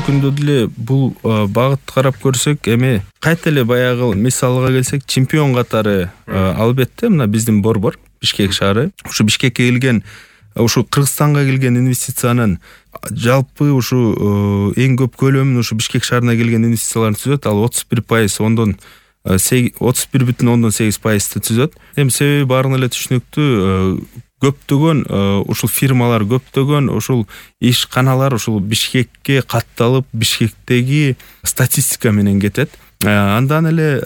күндө деле бул багытты карап көрсөк, эми кайта эле баягы мисалга келсек, чемпион катары албетте мына биздин борбор Бишкек шаары. Ушу Бишкекке келген, ушу Кыргызстанга келген инвестициянын жалпы ушу эң көп көлөмүн ушу Бишкек шаарына келген инвестициялар түзөт. Ал 31%, ондон 31,8% түзөт. Эми себеби баарын эле түшүнүктүү, көптөгөн ушул фирмалар, көптөгөн ушул ишканалар ушул Бишкекке катталып, Бишкектеги статистика менен кетет. Андан эле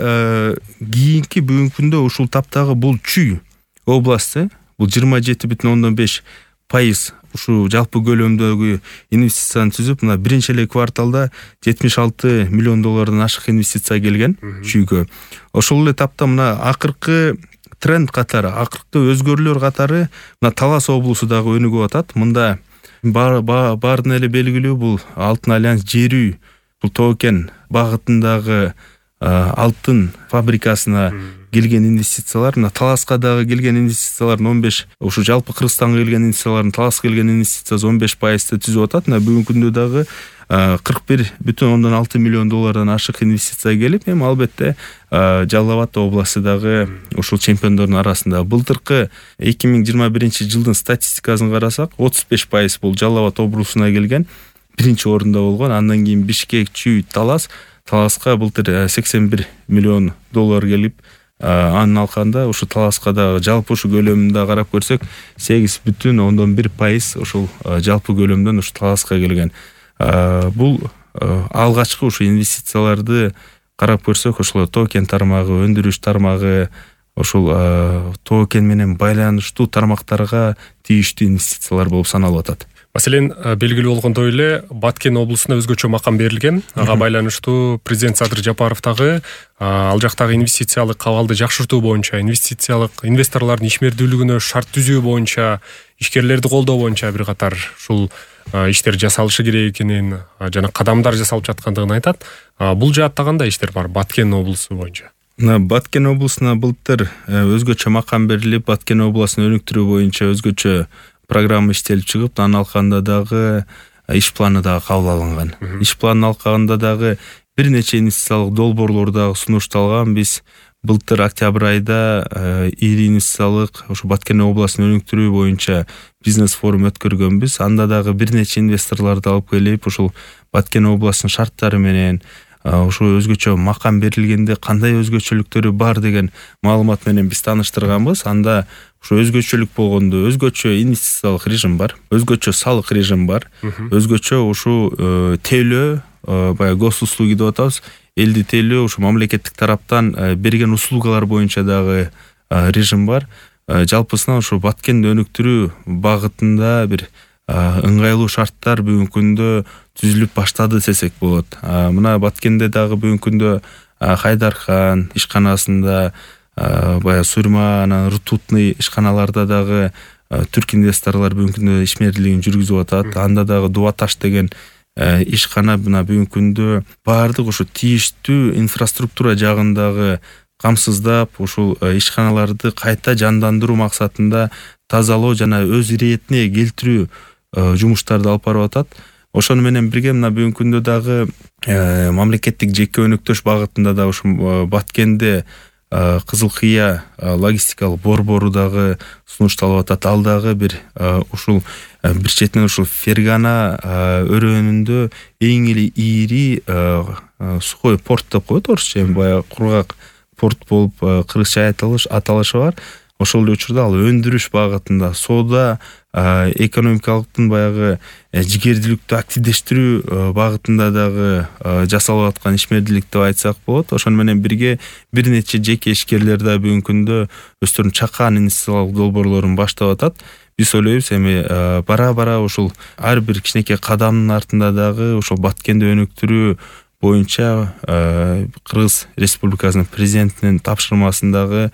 кийинки бүгүнкү күндө ушул таптагы бул Чүй областы, бул 27,5% ушул жалпы көлөмдөгү инвестицияны түзүп, мына биринчи эле кварталда 76 миллион доллардан ашык инвестиция келген Чүйгө. Ошол эле тапта мына акыркы тренд катары, акыркы өзгөрүүлөр катары мына Талас облусу дагы өнүгүп атат. Мында баардын эле белгилүү бул Алтын альянс жерүү, бул Тоо-Кен багытындагы алтын фабрикасына келген инвестициялар, мына Таласка дагы келген инвестициялардын 15, ушу жалпы Кыргызстанга келген инвестициялардын Таласка келген инвестициясы 15% түзүп атат. Мына бүгүнкү күндө дагы 41,6 миллион доллардан ашык инвестиция келип, эми албетте Жалал Абад областы дагы ушул чемпиондордун арасында. Былтыркы 2021 жылдын статистикасын карасак, 35% бул Жалал Абад облусуна келген, биринчи орунда болгон. Андан кийин Бишкек, Чүй, Таласка былтыр 81 миллион доллар келип, анын алкагында ушу Таласка дагы жалпы ушу көлөмүндө карап көрсөк, 8,1% ушул жалпы көлөмдөн ушу Таласка келген. Бул алгачкы ушу инвестицияларды карап көрсөк, ошол Тоо-Кен тармагы, өндүрүш тармагы, ошол Тоо-Кен менен байланыштуу тармактарга тийиштүү инвестициялар болуп саналып атат. Маселен, белгилүү болгондой эле Баткен облусуна өзгөчө макам берилген. Ага байланыштуу президент Садыр Жапаров дагы ал жактагы инвестициялык абалды жакшыртуу боюнча, инвесторлордун ишмердүүлүгүнө шарт түзүү боюнча, ишкерлерди колдоо боюнча бир катар ушул иштер жасалышы керек экенин жана кадамдар жасалып жаткандыгын айтат. Бул жаатта кандай иштер бар Баткен облусу боюнча? Баткен облусуна былтыр өзгөчө макам берилип, Баткен областын өнүктүрүү боюнча өзгөчө программа иштелип чыгып, анын алкагында дагы иш планы дагы кабыл алынган. Иш планынын алкагында дагы бир нече инвестициялык долбоорлор дагы сунушталган. Биз былтыр октябрь айда ири инвестициялык ушу Баткен областын өнүктүрүү боюнча бизнес форум өткөргөнбүз. Анда дагы бир нече инвесторлорду алып келип, ушул Баткен областынын шарттары менен, ушу өзгөчө макам берилгенде кандай өзгөчөлүктөрү бар деген маалымат менен биз тааныштырганбыз. Анда ушу өзгөчөлүк болгондо өзгөчө инвестициялык режим бар, өзгөчө салык режим бар, өзгөчө ушу тейлөө, баягы госуслуги деп атабыз, элди тейлөө, ушу мамлекеттик тараптан берген услугалар боюнча дагы режим бар. Жалпысынан ушу Баткенди өнүктүрүү багытында бир ыңгайлуу шарттар бүгүнкү күндө түзүлүп баштады десек болот. Мына Баткенде дагы бүгүнкү күндө Хайдархан ишканасында, баягы Сурма, анан Ртутный ишканаларда дагы түрк инвесторлор бүгүнкү күндө ишмердүүлүгүн жүргүзүп атат. Анда дагы Дубаташ деген ишкана мына бүгүнкү күндө баардык ушу тийиштүү инфраструктура жагындагы камсыздап, ушул ишканаларды кайта жандандыруу максатында тазалоо жана өз иретине келтирүү жумуштарды алып барып атат. Ошону менен бирге мына бүгүнкү күндө дагы мамлекеттик жеке өнөктөш багытында да ушу Баткенде Кызыл Кыя логистикалык борбору дагы сунушталып атат. Ал дагы бир ушул бир четинен ушул Фергана өрөөнүндө эң эле ири сухой порт деп коет орусча, баягы кургак порт болуп кыргызча аталышы бар. Ошол эле учурда ал өндүрүш багытында, соода экономикалыктын баягы жигердүүлүктү активдештирүү багытында дагы жасалып аткан ишмердүүлүк деп айтсак болот. Ошону менен бирге бир нече жеке ишкерлер да бүгүнкү күндө өздөрүнүн чакан инвестициялык долбоорлорун баштап атат. Биз ойлойбуз эми бара-бара ушул ар бир кичинекей кадамдын артында дагы ушул Баткенди өнүктүрүү боюнча Кыргыз Республикасынын президентинин тапшырмасындагы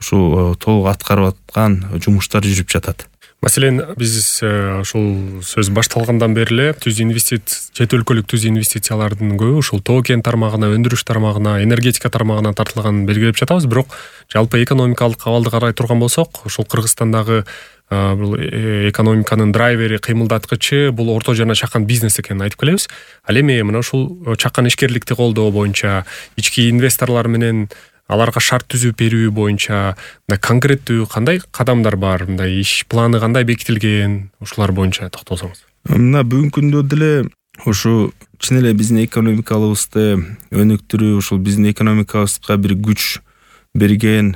ушул толук аткарып аткан жумуштар жүрүп жатат. Маселен, биз ушул сөз башталгандан бери эле чет өлкөлүк түз инвестициялардын көбү ушул Тоо-Кен тармагына, өндүрүш тармагына, энергетика тармагына тартылганын белгилеп жатабыз. Бирок жалпы экономикалык абалды карай турган болсок, ушул Кыргызстандагы бул экономиканын драйвери, кыймылдаткычы бул орто жана чакан бизнес экенин айтып келебиз. Ал эми мына ушул чакан ишкерликти колдоо боюнча, ички инвесторлор менен аларга шарт түзүп берүү боюнча мындай конкреттүү кандай кадамдар бар, мындай иш планы кандай бекитилген, ушулар боюнча токтолсоңуз. Мына бүгүнкү күндө деле ушу чын эле биздин экономикабызды өнүктүрүү, ушул биздин экономикабызга бир күч берген,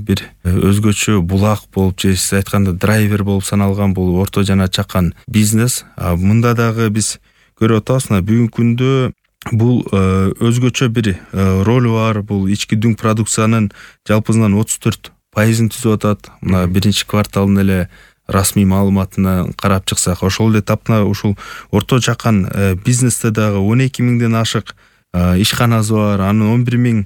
бир өзгөчө булак болуп, же сиз айтканда драйвер болуп саналган бул орто жана чакан бизнес. Мында дагы биз көрүп атабыз, мына бүгүнкү күндө бул өзгөчө бир ролу бар. Бул ички дүң продукциянын жалпысынан 34% түзүп атат. Мына биринчи кварталдын эле расмий маалыматына карап чыксак, ошол эле тапна ушул орто чакан бизнесте дагы 12 миңден ашык ишканасы бар. Анын 11 миң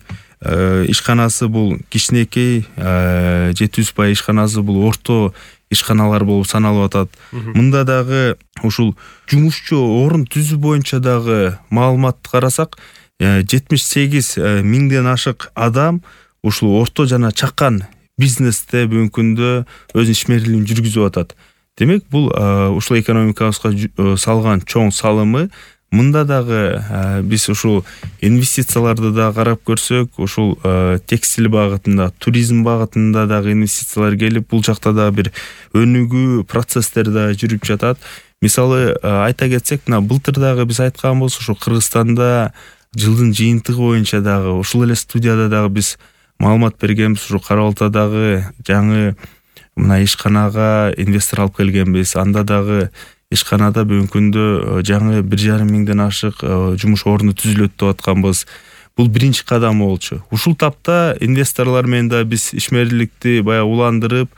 ишканасы бул кичинекей, 700 ишканасы бул орто ишканалар болуп саналып атат. Мында дагы ушул жумушчу орун түзүү боюнча дагы маалыматты карасак, 78 миңден ашык адам ушул орто жана чакан бизнесте бүгүнкү күндө өз ишмерлигин жүргүзүп атат. Демек, бул ушул экономикабызга салган чоң салымы. Мында дагы биз ушул инвестицияларды да карап көрсөк, ушул текстиль багытында, туризм багытында дагы инвестициялар келип, бул жакта дагы бир өнүгүү процесстери да жүрүп жатат. Мисалы айта кетсек, мына былтыр дагы биз айтканбыз, ушул Кыргызстанда жылдын жыйынтыгы боюнча дагы ушул эле студияда дагы биз маалымат бергенбиз. Ушул Кара Балтадагы жаңы мына ишканага инвестор алып келгенбиз. Анда дагы ишканада бүгүнкү күндө жаңы 1,5 миңден ашык жумуш орну түзүлөт деп атканбыз. Бул биринчи кадам болчу. Ушул тапта инвесторлор менен да биз ишмерликти баягы уландырып,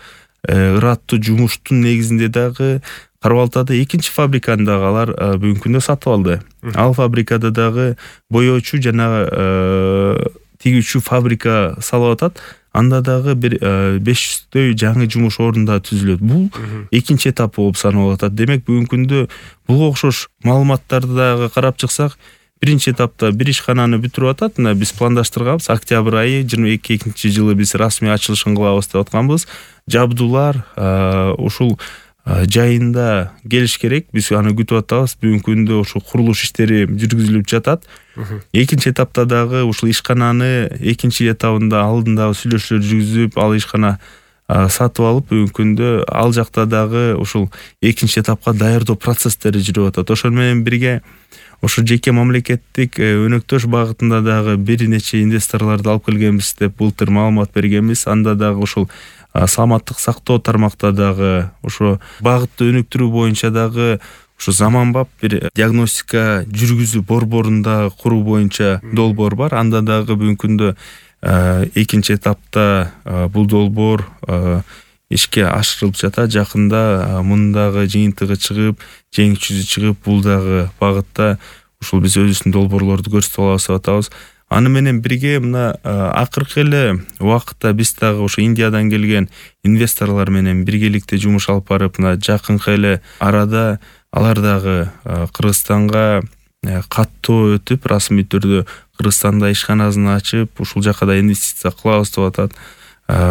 ыраттуу жумуштун негизинде дагы Кара Балтада экинчи фабриканы дагы алар бүгүнкү күндө сатып алды. Ал фабрикада дагы боёчу жана тигүүчү фабрика салып атат. Анда дагы бир 500дөй жаңы жумуш орунда түзүлөт. Бул экинчи этап болуп саналып атат. Демек, бүгүнкү күндө бул окшош маалыматтарды дагы карап чыксак, биринчи этапта бир ишкананы бүтүрүп атат. Мына биз пландаштырганбыз, октябрь айы 22-жылы биз расмий ачылышын кылабыз деп атканбыз. Жабдуулар ушул жайында келиш керек. Биз аны күтүп атабыз. Бүгүнкү күндө ушул курулуш иштери жүргүзүлүп жатат. Экинчи этапта дагы ушул ишкананы экинчи этабында алдындагы сүйлөшүүлөр жүргүзүп, ал ишкана сатып алып, бүгүнкү күндө ал жакта дагы ушул экинчи этапка даярдоо процесстери жүрүп атат. Ошол менен бирге ошо жеке мамлекеттик өнөктөш багытында дагы бир нече инвесторлорду алып келгенбиз деп былтыр маалымат бергенбиз. Анда дагы ушул саламаттык сактоо тармакта дагы ошо багытты өнүктүрүү боюнча дагы ушу заманбап бир диагностика жүргүзүү борборунда куруу боюнча долбоор бар. Анда дагы бүгүнкү күндө экинчи этапта бул долбоор ишке ашырылып жатат. Жакында мындагы жыйынтыгы чыгып, жеңүүчүсү чыгып, бул дагы багытта ушул биз өзүбүздүн долбоорлорду көрсөтүп алабыз деп атабыз. Аны менен бирге мына акыркы эле убакытта биз дагы ошо Индиядан келген инвесторлор менен биргеликте жумуш алып барып, мына жакынкы эле арада алар дагы Кыргызстанга каттоо өтүп, расмий түрдө Кыргызстанда ишканасын ачып, ушул жака да инвестиция кылабыз деп атат.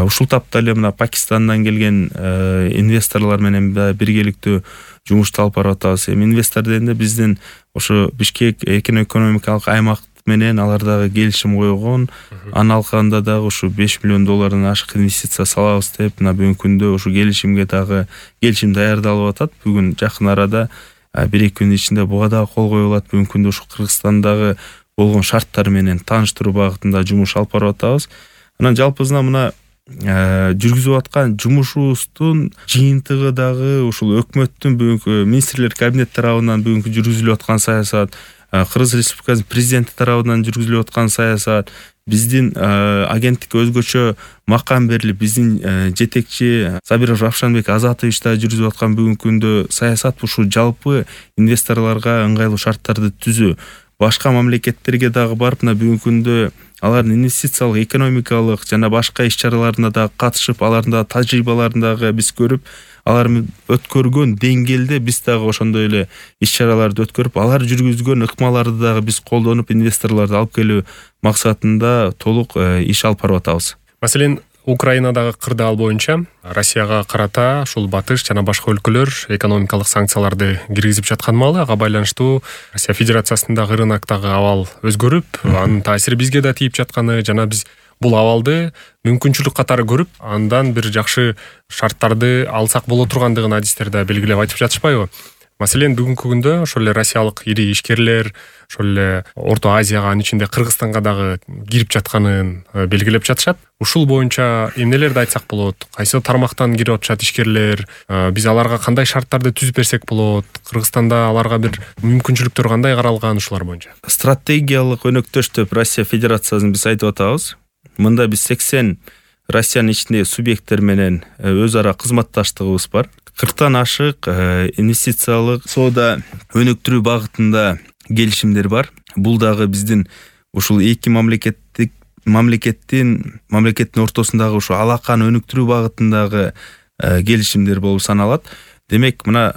Ушул тапта эле мына Пакистандан келген инвесторлор менен да биргеликтүү жумушту алып барып атабыз. Эми инвестор дегенде биздин ошо Бишкек экономикалык аймак менен алар дагы келишим койгон. Анын алкагында дагы ушу $5 миллион ашык инвестиция салабыз деп, мына бүгүнкү күндө ушу келишимге дагы келишим даярдалып атат. Бүгүн жакын арада 1-2 күн ичинде буга дагы кол коюлат. Бүгүнкү күндө ушу Кыргызстандагы болгон шарттар менен тааныштыруу багытында жумуш алып барып атабыз. Анан жалпысынан мына жүргүзүп аткан жумушубуздун жыйынтыгы дагы ушул өкмөттүн бүгүнкү министрлер кабинети тарабынан бүгүнкү жүргүзүлүп аткан саясат, Кыргыз Республикасынын президенти тарабынан жүргүзүлүп аткан саясат, биздин агенттикке өзгөчө макам берилип, биздин жетекчи Сабиров Равшанбек Азатович да жүргүзүп аткан бүгүнкү күндө саясат ушу жалпы инвесторлорго ыңгайлуу шарттарды түзүү. Башка мамлекеттерге дагы барып, мына бүгүнкү күндө алардын инвестициялык, экономикалык жана башка иш-чараларына да катышып, алардын да тажрыйбаларын дагы биз көрүп, алар өткөргөн деңгээлде биз дагы ошондой эле иш-чараларды өткөрүп, алар жүргүзгөн ыкмаларды дагы биз колдонуп, инвесторлорду алып келүү максатында толук иш алып барып атабыз. Маселен, Украинадагы кырдаал боюнча Россияга карата ушул батыш жана башка өлкөлөр экономикалык санкцияларды киргизип жаткан маалы ага байланыштуу Россия Федерациясындагы рыноктогу абал өзгөрүп, анын таасири бизге да тийип жатканы жана биз бул абалды мүмкүнчүлүк катары көрүп, андан бир жакшы шарттарды алсак боло тургандыгын адистер да белгилеп айтып жатышпайбы? Маселен, бүгүнкү күндө ошол эле россиялык ири ишкерлер ошол эле Орто Азияга, анын ичинде Кыргызстанга дагы кирип жатканын белгилеп жатышат. Ушул боюнча эмнелерди айтсак болот? Кайсы тармактан кирип атышат ишкерлер? Биз аларга кандай шарттарды түзүп берсек болот? Кыргызстанда аларга бир мүмкүнчүлүктөр кандай каралган ушулар боюнча? Стратегиялык өнөктөш деп Россия Федерациясын биз айтып атабыз. Мында биз 80 Россиянын ичиндеги субъекттер менен өз ара кызматташтыгыбыз бар. 40тан ашык инвестициялык соода өнүктүрүү багытында келишимдер бар. Бул дагы биздин ушул эки мамлекеттин ортосундагы ушул алаканы өнүктүрүү багытындагы келишимдер болуп саналат. Демек, мына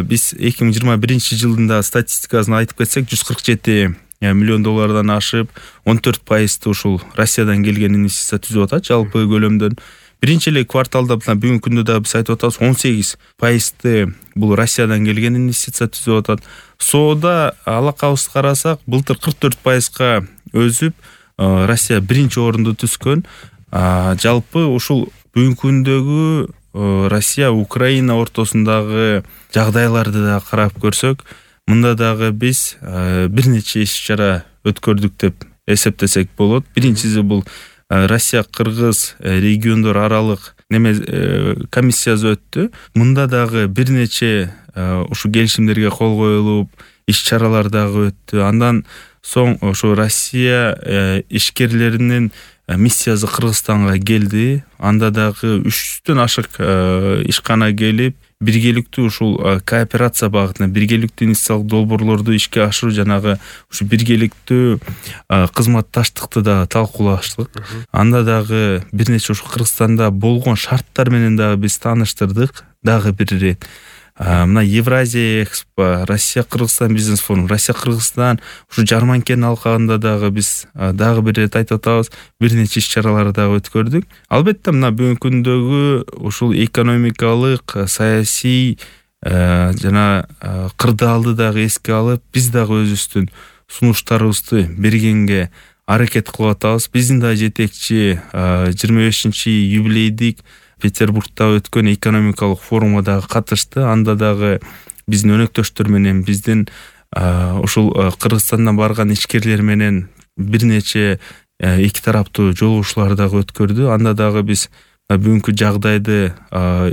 биз 2021 жылдын да статистикасын айтып кетсек, 147 миллион доллардан ашып, 14% ушул Россиядан келген инвестиция түзүп атат жалпы көлөмдөн. Биринчи эле кварталда бүгүнкү күндө да биз айтып атабыз, 18% бул Россиядан келген инвестиция түзүп атат. Соода алакабызды карасак, былтыр 44%га өсүп, Россия биринчи орунду түзгөн. Жалпы ушул бүгүнкү күндөгү Россия Украина ортосундагы жагдайларды да карап көрсөк, мында дагы биз бир нече иш-чара өткөрдүк деп эсептесек болот. Биринчиси бул Россия-Кыргыз региондор аралык комиссиясы өттү. Мында дагы бир нече ушу келишимдерге кол коюлуп, иш-чаралар дагы өттү. Андан соң ушу Россия ишкерлеринин миссиясы Кыргызстанга келди. Анда дагы 300төн ашык ишкана келип, биргеликтүү ушул кооперация багытына, биргеликтүү инвестициялык долбоорлорду ишке ашыруу, жанагы ушу биргеликтүү кызматташтыкты да талкуулаштык. Анда дагы бир нече ушу Кыргызстанда болгон шарттар менен дагы биз тааныштырдык. Дагы бир ирет мына Евразия Экспо, Россия-Кыргызстан бизнес форум, Россия-Кыргызстан ушу Жарманкенин алкагында дагы биз дагы бир ирет айтып атабыз, бир нече иш-чараларды дагы өткөрдүк. Албетте, мына бүгүнкү күндөгү ушул экономикалык, саясий жана кырдаалды дагы эске алып, биз дагы өзүбүздүн сунуштарыбызды бергенге аракет кылып атабыз. Биздин да жетекчи 25-юбилейдик Петербургда өткөн экономикалык форумга дагы катышты. Анда дагы биздин өнөктөштөр менен, биздин ушул Кыргызстандан барган ишкерлер менен бир нече эки тараптуу жолугушуулар дагы өткөрдү. Анда дагы биз бүгүнкү жагдайды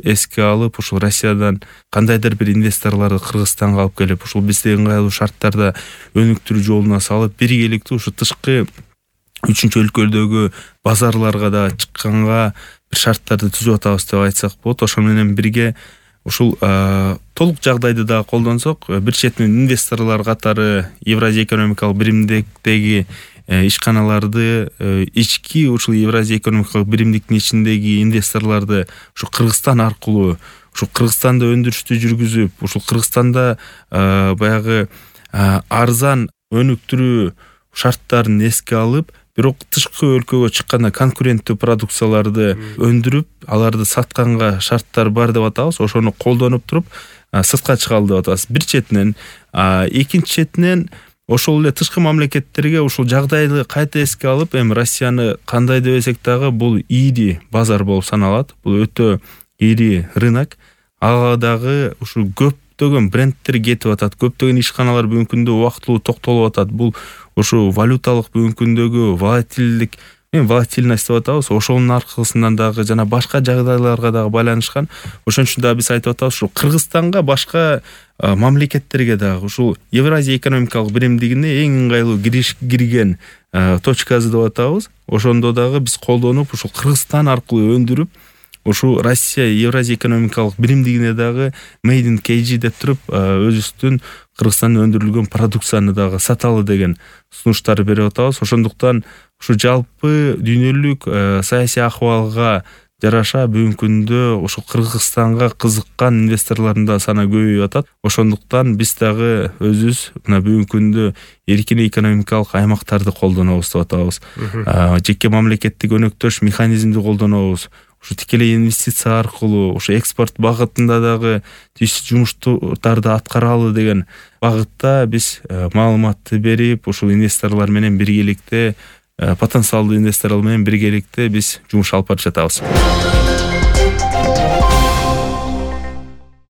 эске алып, ушул Россиядан кандайдыр бир инвесторлорду Кыргызстанга алып келип, ушул бизде ыңгайлуу шарттарда өнүктүрүү жолуна салып, биргеликтүү ушу тышкы үчүнчү өлкөлөрдөгү базарларга да чыкканга бир шарттарды түзүп атабыз деп айтсак болот. Ошол менен бирге ушул толук жагдайды да колдонсок, бир четинен инвесторлор катары Евразия экономикалык биримдиктеги ишканаларды, ички ушул Евразия экономикалык биримдиктин ичиндеги инвесторлорду ушу Кыргызстан аркылуу, ушу Кыргызстанда өндүрүштү жүргүзүп, ушул Кыргызстанда баягы арзан өнүктүрүү шарттарын эске алып, бирок тышкы өлкөгө чыкканда конкуренттүү продукцияларды өндүрүп, аларды сатканга шарттар бар деп атабыз. Ошону колдонуп туруп, сыртка чыгалы деп атабыз. Бир четинен, экинчи четинен ошол эле тышкы мамлекеттерге ушул жагдайды кайта эске алып, эми Россияны кандай дебесек дагы бул ири базар болуп саналат. Бул өтө ири рынок. Ага дагы ушул көптөгөн брендтер кетип атат. Көптөгөн ишканалар бүгүнкү күндө убактылуу токтолуп атат. Бул ушу валюталык бүгүнкү күндөгү волатильность деп атабыз. Ошонун аркысынан дагы жана башка жагдайларга дагы байланышкан. Ошон үчүн да биз айтып атабыз, ушул Кыргызстанга, башка мамлекеттерге дагы ушул Евразия экономикалык биримдигине эң ыңгайлуу кирген точкасы деп атабыз. Ошондо дагы биз колдонуп, ушул Кыргызстан аркылуу өндүрүп, ушу Россия Евразия экономикалык биримдигине дагы Made in KG деп туруп, өзүбүздүн Кыргызстанда өндүрүлгөн продукцияны дагы саталы деген сунуштар берип атабыз. Ошондуктан ушу жалпы дүйнөлүк саясий акыбалга жараша бүгүнкү күндө ошо Кыргызстанга кызыккан инвесторлордун да саны көбөйүп атат. Ошондуктан биз дагы өзүбүз мына бүгүнкү күндө эркин экономикалык аймактарды колдонобуз деп атабыз. Жеке мамлекеттик өнөктөш механизмди колдонобуз. Ушу тикелей инвестиция аркылуу ушу экспорт багытында дагы тийиштүү жумуштарды аткаралы деген багытта биз маалыматты берип, ушул инвесторлор менен биргеликте, потенциалдуу инвесторлор менен биргеликте биз жумуш алып барып жатабыз.